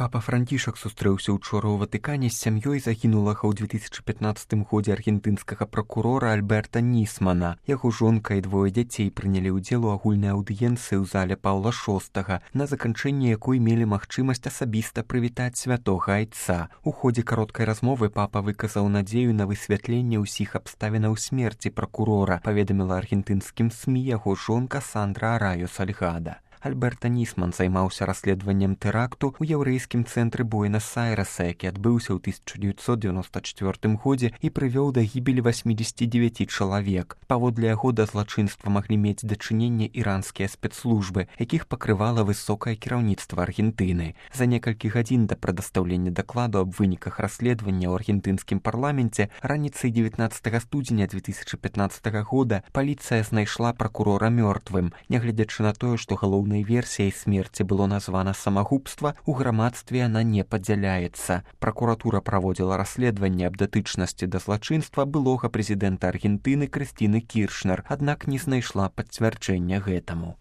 Папа Францішак сустрэўся учора ў Ватыкане з сям'ёй загінулага ў 2015 годзе аргентынскага пракурора Альберта Нісмана. Яго жонка і двое дзяцей прынялі ўдзел у агульнай аўдыенцыі ў зале Паўла VI, на заканчэнне якой мелі магчымасць асабіста прывітаць святога айца. У ходзе кароткай размовы папа выказаў надзею на высвятленне ўсіх абставінаў смерці пракурора, паведаміла аргентынскім СМІ яго жонка Сандра Арайо Сальгада. Альберта Нісман займаўся расследаваннем тэракту ў яўрэйскім цэнтры Буэнас-Айрэса, які адбыўся ў 1994 годзе і прывёў да гібелі 89 чалавек. Паводле яго да злачынства маглі мець дачыненне іранскія спецслужбы, якіх пакрывала высокае кіраўніцтва Аргентыны. За некалькі гадзін да прадастаўлення дакладу аб выніках расследавання ў аргентынскім парламенце раніцай 19 студзеня 2015 года паліцыя знайшла пракурора мёртвым. Нягледзячы на тое, што галоўнай версіяй смерці было названа самагубства, у грамадстве яна не падзяляецца. Пракуратура праводзіла расследаванне аб датычнасці да злачынства былога прэзідэнта Аргентыны Крыстыны Кіршнер, аднак не знайшла пацвярджэння гэтаму.